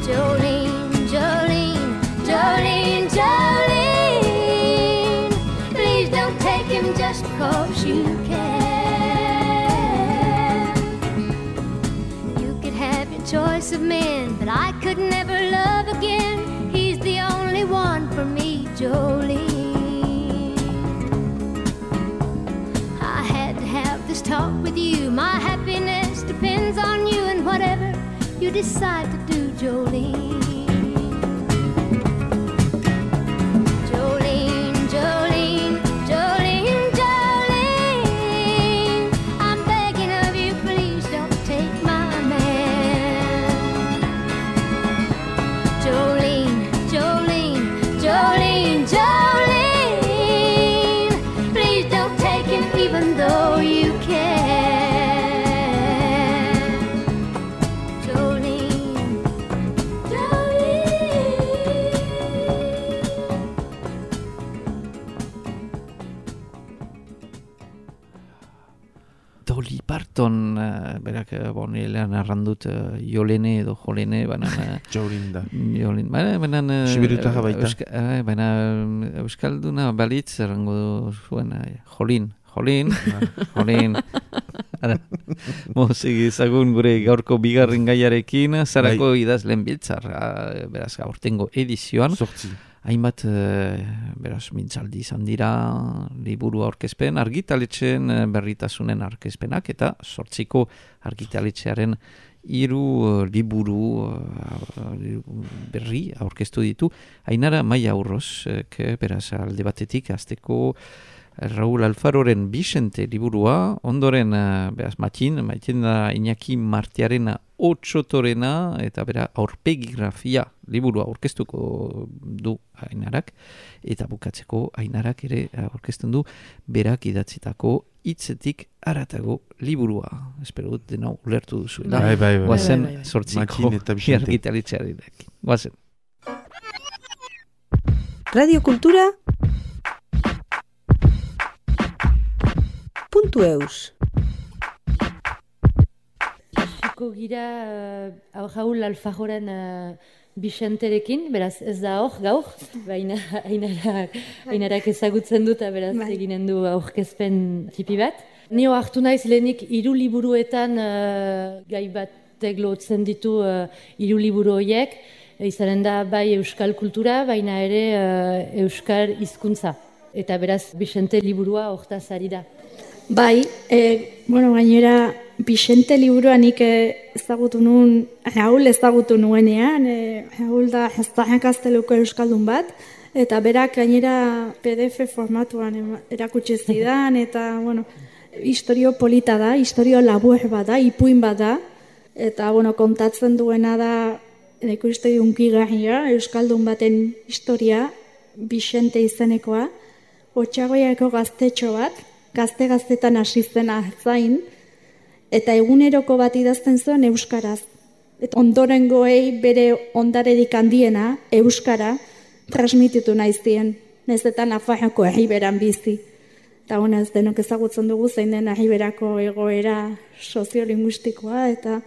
Jolene, Jolene, Jolene, Jolene, please don't take him just because you can. You could have your choice of men, but I could never love again. He's the only one for me, Jolene. I had to have this talk with you. My happiness depends on you, and whatever you decide to do, Jolene. Jolene, Jolene, Jolene, Jolene, I'm begging of you, please don't take my man. Jolene, Jolene, Jolene, Jolene, please don't take him even though you can. Milton, berak, nilean arrandut Jolene edo Jolene, baina... Jolin da. Jolin, baina... Sibirutarra baita. Baina Euskalduna balitz errango zuen, Jolin. Ara, segi ezagun gure gaurko bigarren gaiarekin, zarako idazlen biltzar, beraz, aurtengo edizioan. Zortzi. Hainbat, beraz, mintzaldi izan dira, liburu aurkezpen, argitaletxeen berritasunen aurkezpenak, eta 8 argitaletxearen 3 liburu berri aurkeztu ditu. Ainara Maia Urroz, beraz, alde batetik, azteko Raúl Alfaroren Vicente liburua, ondoren, beraz, Matin da Iñaki Martiarena Otsotorena, eta bera aurpegigrafia liburua aurkeztuko du Ainarak, eta bukatzeko Ainarak ere aurkezten du berak idatzitako hitzetik haratago liburua. Espero dut denau ulertu duzuela. Bai. Guazen 8 argitaletxearekin. Guazen. Radio Kultura .eus Hasiko gira Raúl Alfajoren Bicenterekin, beraz ez da hor gaur, baina Ainarak ezagutzen dut, beraz eginen du aurkezpen tipi bat. Nio hartu naiz lehenik 3 liburuetan gai batek lotzen ditu 3 liburu horiek, izanen da bai euskal kultura, baina ere euskal hizkuntza. Eta beraz Vicente liburua hortaz ari da. Bai, gainera Vicente liburua nik ezagutu nuen, Raúl ezagutu nuenean, Raúl da Gazteluko euskaldun bat, eta berak gainera PDF formatuan erakutsi zidan, eta, historio polita da, historio labur bat da, ipuin bat da, eta, kontatzen duena da, neko historio unkigarria, euskaldun baten historia, Vicente izenekoa, Otxagoiako gaztetxo bat, gazte-gaztetan hasi zen zain, eta eguneroko bat idazten zuen euskaraz. Eta ondorengoei bere ondarerik handiena, euskara, transmititu naizien, nahizetan Nafarroako herriberan bizi. Eta ez denok ezagutzen dugu zein den herriberako egoera soziolinguistikoa, eta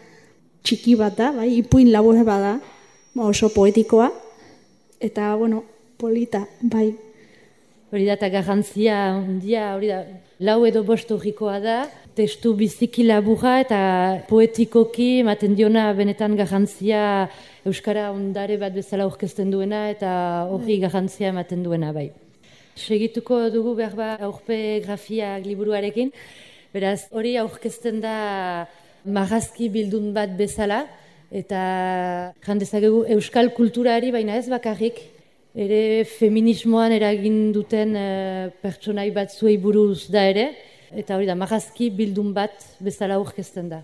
txiki bat da, bai, ipuin labur bat da, oso poetikoa, eta, polita, bai. Hori da, eta garrantzia handia, hori da, 4 edo 5 horrikoa da, testu biziki laburra eta poetikoki ematen diona benetan garrantzia euskara ondare bat bezala aurkezten duena eta horri garrantzia ematen duena bai. Segituko dugu behar aurpegigrafiak liburuarekin, beraz hori aurkezten da marrazki bildun bat bezala eta jandezakegu euskal kulturari baina ez bakarrik, ere feminismoan eragin duten pertsonai batzuei buruz da ere, eta hori da, marrazki bildun bat bezala aurkezten da.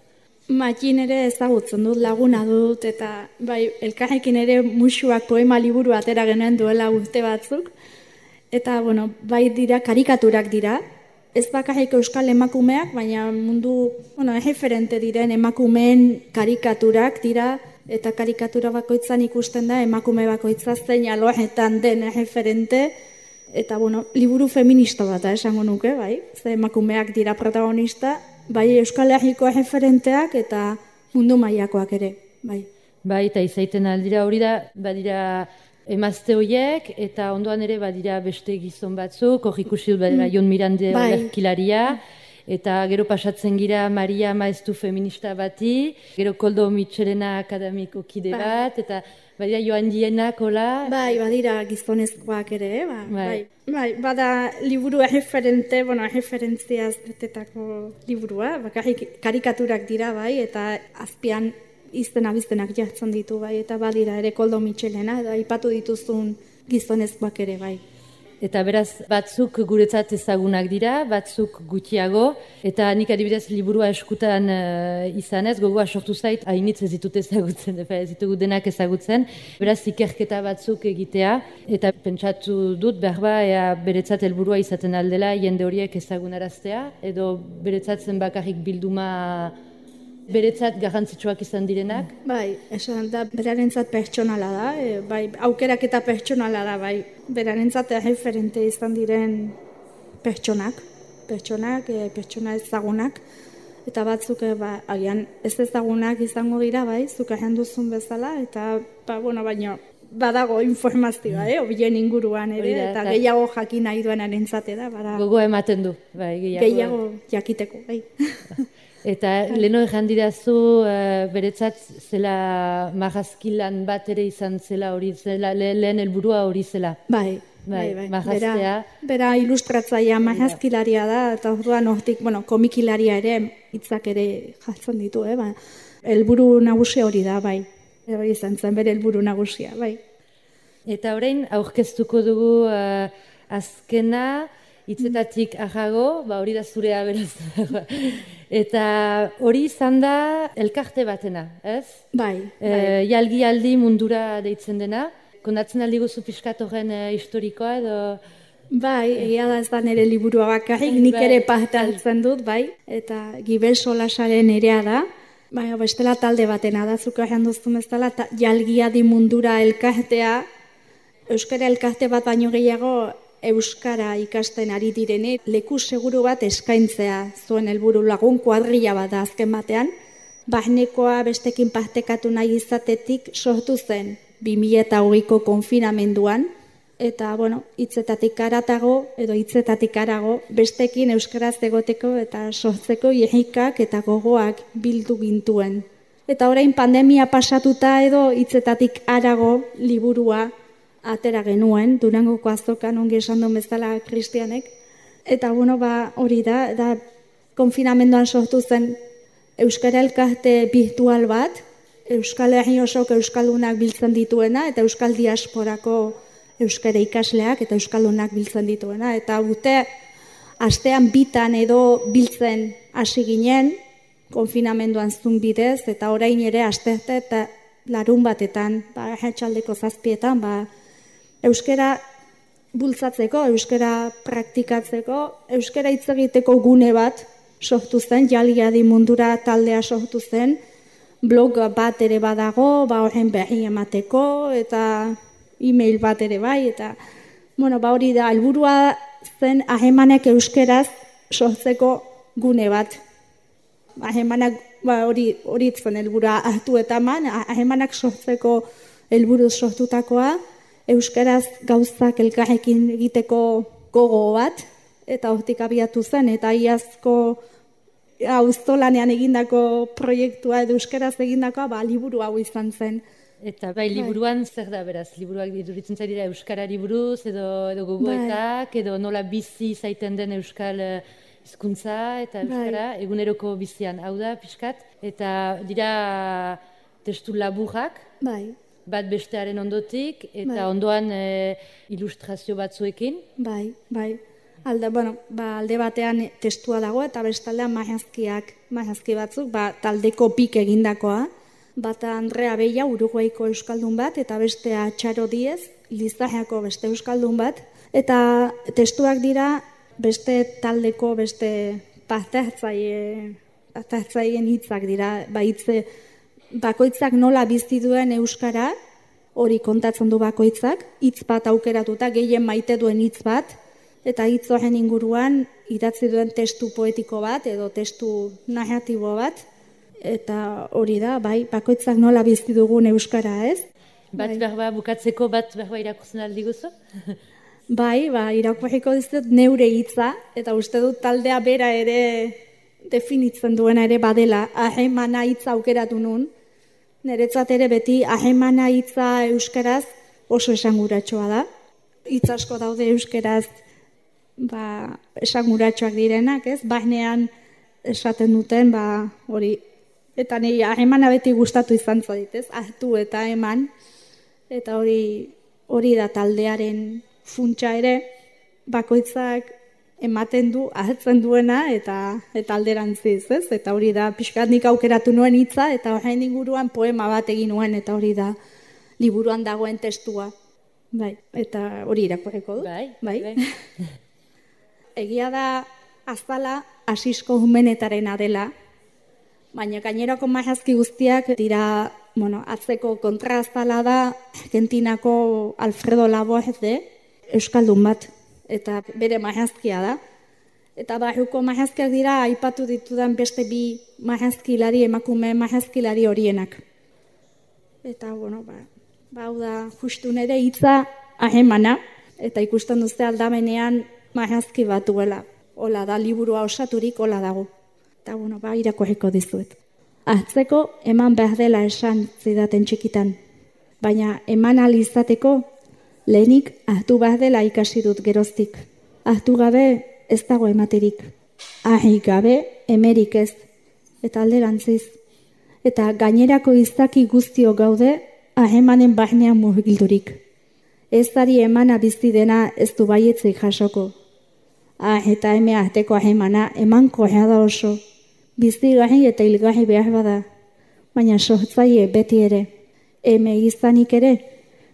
Matin ere ezagutzen dut, laguna dut, eta bai, elkarrekin ere musuak poema liburu atera genuen duela urte batzuk, eta bai dira, karikaturak dira, ez bakarrik euskal emakumeak, baina mundu, erreferente diren emakumeen karikaturak dira, eta karikatura bakoitzan ikusten da emakume bakoitza zein alorretan den erreferente, eta liburu feminista bat esango nuke, bai, ze emakumeak dira protagonista, bai Euskal Herriko erreferenteak eta mundu mailakoak ere, bai. Bai, eta izaiten aldira hori da, badira emazte horiek, eta ondoan ere badira beste gizon batzuk, hor ikusi dut badira Jon Mirande olerkilaria, eta gero pasatzen gira Maria Maeztu feminista bati, gero Koldo Mitxelena akademiko kide bat, eta badira Joan Dienak, hola? Bai, badira gizonezkoak ere, bai, bada liburu erreferente, erreferentziaz betetako liburua, bakarrik karikaturak dira, bai, eta azpian izten-abiztenak jartzen ditu, bai, eta badira ere Koldo Mitxelena, eta aipatu dituzun gizonezkoak ere, bai. Eta beraz, batzuk guretzat ezagunak dira, batzuk gutxiago, eta nik adibidez liburua eskutan izanez, gogoa sortu zait, hainitz ez ditut ezagutzen, ez ditugu denak ezagutzen, beraz ikerketa batzuk egitea, eta pentsatu dut, behar beretzat helburua izaten aldela, jende horiek ezagunaraztea, edo beretzat zen bakarrik bilduma beretzat garrantzitsuak izan direnak? Bai, esan da, berarentzat pertsonala da, bai, aukerak eta pertsonala da, bai, berarentzat referente izan diren pertsona ezagunak, eta batzuk agian ez ezagunak izango dira, bai, zuk egin duzun bezala, eta baino badago informazioa, obien inguruan ere, eta gehiago jakin nahi duenarentzat da, gogoa ematen du, bai, gehiago jakiteko, bai. Eta leheno ejan didazu, beretzat zela marrazkilan bat ere izan zela hori, lehen helburua hori zela. Bai. Bera ilustratzaia marrazkilaria da, eta orduan hortik, komikilaria ere, hitzak ere jartzen ditu, helburu nagusia hori da, bai. Hori izan zen bere helburu nagusia, bai. Eta orain, aurkeztuko dugu azkena, hitzetatik ahago, hori da zurea beraz. Eta hori izan da elkarte batena, ez? Bai. Jalgi mundura deitzen dena. Kondatzen aldi guzu pixkat horren historikoa edo... Bai, egia da ez da nire liburua bakarrik, nik ere parte hartzen dut, bai. Eta Gibel Solasaren erea da. Bai, bestela talde batena da, zuka egin duzun ez dela, jalgi mundura elkartea, euskara elkarte bat baino gehiago, euskara ikasten ari direne, leku seguru bat eskaintzea zuen helburu lagun kuadrilla bat da azken batean, barnekoa bestekin partekatu nahi izatetik sortu zen 2020ko konfinamenduan, eta, hitzetatik arago, bestekin euskaraz egoteko eta sortzeko irrikak eta gogoak bildu gintuen. Eta orain pandemia pasatuta edo hitzetatik arago liburua atera genuen, Durangoko azokan ongi esan duen bezala kristianek. Eta hori da konfinamenduan sortu zen euskara elkarte virtual bat, Euskal Herri osok euskaldunak biltzen dituena, eta euskal diasporako euskara ikasleak eta euskaldunak biltzen dituena. Eta astean bitan edo biltzen hasi ginen, konfinamenduan zun bidez, eta orain ere asterte eta larun batetan, arratsaldeko 7:00, euskara bultzatzeko, euskara praktikatzeko, euskara hitz egiteko gune bat sortu zen, jalgi mundura taldea sortu zen, blog bat ere badago, horren berri emateko, eta e-mail bat ere bai, eta hori da, helburua zen ahemanek euskeraz sortzeko gune bat. Ahemanak hori zen helburua hartu eta ahemanak sortzeko helburu sortutakoa, euskaraz gauzak elkarrekin egiteko gogo bat, eta hortik abiatu zen, eta iazko auzolanean egindako proiektua edo euskaraz egindakoa, liburu hau izan zen. Eta liburuan zer da beraz? Liburuak diduritzen zaira euskarari buruz, edo gogoetak, edo nola bizi zaiten den euskal hizkuntza eta euskara, eguneroko bizian, hau da, pixkat, eta dira testu laburrak, bat bestearen ondotik, eta ondoan ilustrazio batzuekin. Bai. Alde batean testua dago, eta bestaldean marrazki batzuk, taldeko pik egindakoa, bata Andrea Beia, Uruguaiko euskaldun bat, eta bestea Txaro Diez, Lizarrako beste euskaldun bat, eta testuak dira beste taldeko, beste parte hartzaien hitzak dira, bakoitzak nola bizi duen euskara, hori kontatzen du bakoitzak, hitz bat aukeratuta, gehien maite duen hitz bat, eta hitz horren inguruan idatzi duen testu poetiko bat, edo testu narratibo bat, eta hori da, bakoitzak nola bizi dugun euskara, ez? Bat bukatzeko bat irakurtzen aldi guzu? Irakurriko dizut neure hitza, eta uste dut taldea bera ere definitzen duena ere badela, ahemana hitza aukeratu nun. Niretzat ere beti ahemana hitza euskaraz oso esanguratsua da. Hitz asko daude euskaraz esanguratsuak direnak, ez? Barnean esaten duten, hori. Eta niri ahemana beti gustatu izan zait, ez? Hartu eta eman. Eta hori da taldearen funtsa ere, bakoitzak ematen du, ahetzen duena, eta alderantziz, ez? Eta hori da, pixkat nik aukeratu nuen hitza, eta horrein inguruan poema bat egin nuen, eta hori da, liburuan dagoen testua. Eta hori irakurriko du. Bai. Egia da, azala, Asisko Jumenetarena dela, baina gainerako marrazki guztiak dira, atzeko kontraazala da, Argentinako Alfredo Laborde, euskaldun bat, eta bere marrazkia da. Eta barruko marrazkiak dira aipatu ditudan beste bi marrazkilari, emakume marrazkilari horienak. Eta, bueno, hau da justu nire hitza ahemana, eta ikusten duzte aldamenean marrazki bat duela. Hola da, liburua osaturik hola dago. Eta, bueno, irakurriko dizuet. Atzeko eman behar dela esan zidaten txikitan. Baina eman ahal izateko lehenik ahtu behar dela ikasi dut geroztik. Ahtu gabe ez dago ematerik. Ahi gabe emerik ez. Eta alderantziz. Eta gainerako izaki guztio gaude ahemanen barnean murgildurik. Ez dari emana bizi dena ez du baietzik jasoko. Eta eme arteko ahemana eman korrea da oso. Bizigarri eta hilgarri behar bada. Baina sortzaile beti ere. Eme izanik ere,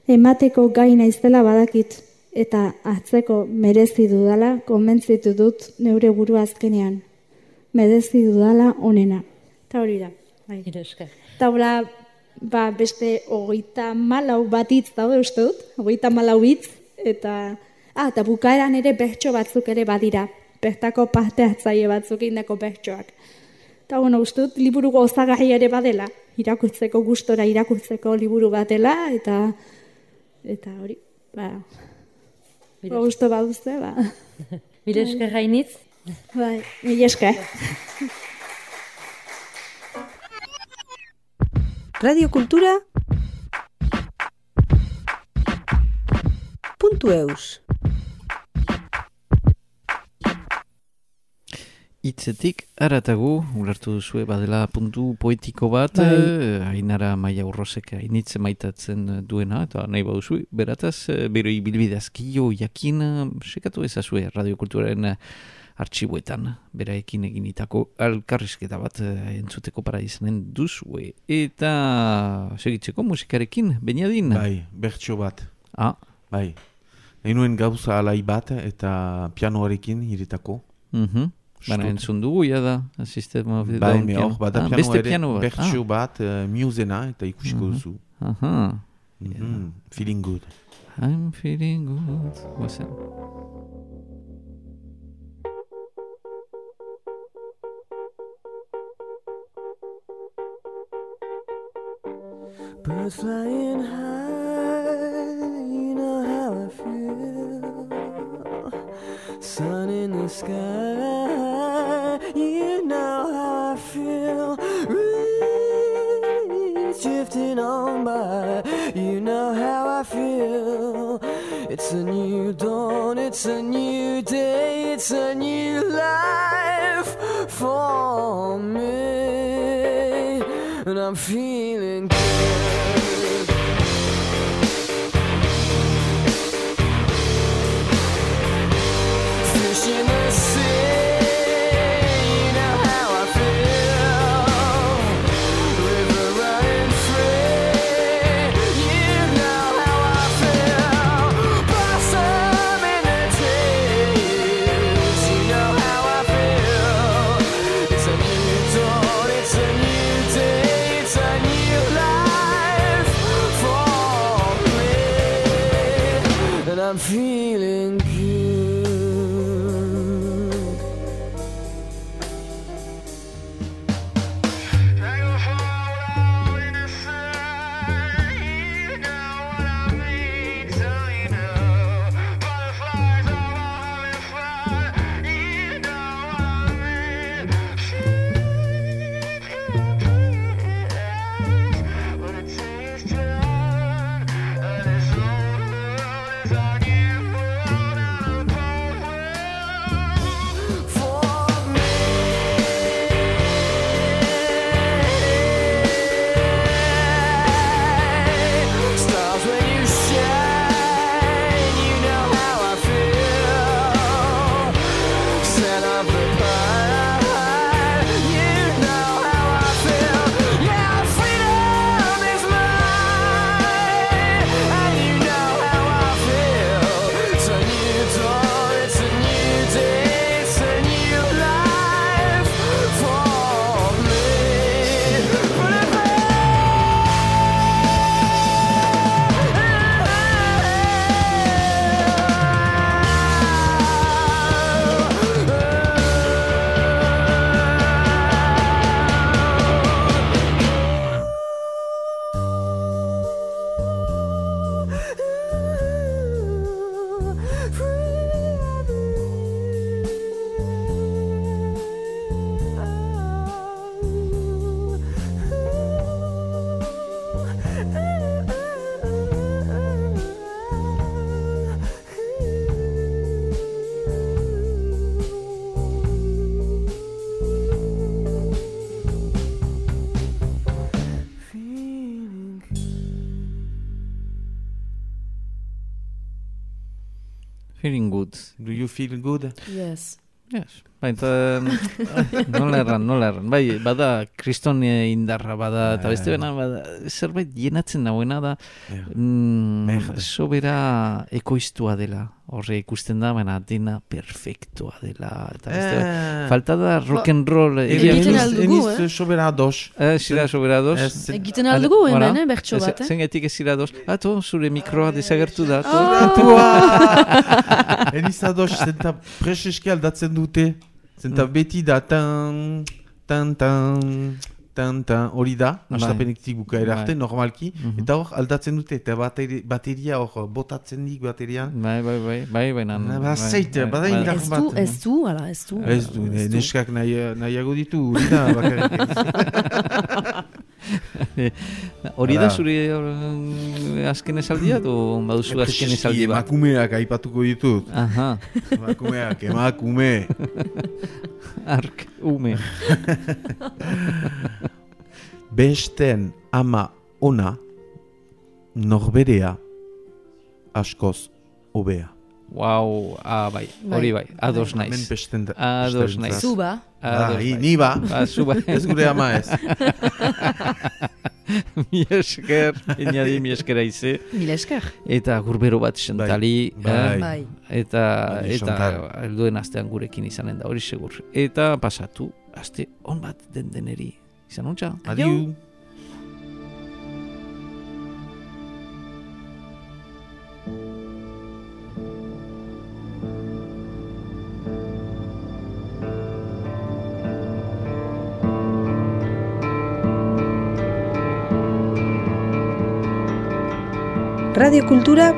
emateko gai naizela badakit. Eta atzeko merezi dudala, konbentzitu dut neure buru azkenean. Merezi dudala onena. Eta hori da. Bai. Eta hola, beste 34 bat hitz daude uste dut. 34 hitz. Eta bukaeran ere bertso batzuk ere badira. Bertako parte hartzaile batzuk indako bertsoak. Eta bueno, uste dut liburu gozagarri ere badela. Irakurtzeko gustora irakurtzeko liburu batela. Eta hori, gusto baduzte, Mila esker gainitz. Bai, mila esker. Radio Kultura .eus Hitzetik aratagu, ulertu duzue badela puntu poetiko bat, Ainara Maia Urrosek hainitz maitatzen duena, eta nahi baduzu, berataz, bero ibilbidazkio jakin, sekatu ezazue radiokulturaren artxibuetan, beraekin eginitako alkarrizketa bat entzuteko para izanen duzue. Eta segitzeko musikarekin, Beniadin? Bai, bertso bat. Bai. Nahi nuen gauza alai bat eta pianoarekin iritako. Baina entzun dugu, da, System of the Down. Bai, hor, bada piano ere, bertso bat, musena, eta ikusiko duzu. Feeling good. I'm feeling good. Guazen. Birds flying high, you know how I feel. Sun in the sky, you know how I feel. Reeds drifting on by, you know how I feel. It's a new dawn, it's a new day, it's a new life for me. And I'm feeling good. Fish in the sea, you know how I feel. River running free, you know how I feel. Blossom in the trees, you know how I feel. It's a new dawn, it's a new day. It's a new life for me, and I'm feeling good. Dragonfly in the sun, you know what I mean, so you know. Butterflies all having fun, you know what I mean. When the day is done, and this old world is on you. Feeling good. Do you feel good? Yes. Yes. Baita, nola erran. Bai, bada, kriston indarra bada, eta beste bena, bada, zerbait jenatzen nagoena da, sobera ekoiztua dela. Horre ikusten da, baina dena perfektua dela. Eta beste, falta da rock and roll. Egiten aldugu, sobera ados. Zira sobera ados. Egiten aldugu, hemen, bertso bat, Zengetik ez zira ados. Ato, zure mikroa desagertu da. Eniz ados, zenta preseski aldatzen dute. Zenta beti da tan, hori da, astapenetik bukaera arte, normalki, eta hor aldatzen dute, eta bateria hor botatzen dik baterian. Bai, Zeite, bada indar bat. Ez du, neskak nahiago ditu, hori da, bakarrik. Hori da zure azken esaldia, o baduzu azken esaldi bat? Emakumeak aipatuko ditut. Aha. Emakume. Ark, ume. Besten ama ona, norberea, askoz hobea. Wow, bai, hori bai, ados naiz. Hemen besten da. Ados naiz. Zuba. Ni ba. Zuba. Ez gure ama ez. Mi esker, mi eskera ize. Mil esker. Eta gurbero bat sentali. Bai. Eta helduen astean gurekin izanen da, hori segur. Eta pasatu, aste on bat deneri. Izan untxa. Adiu. Radio Kultura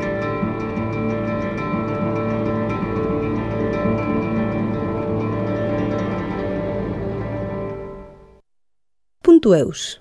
.eus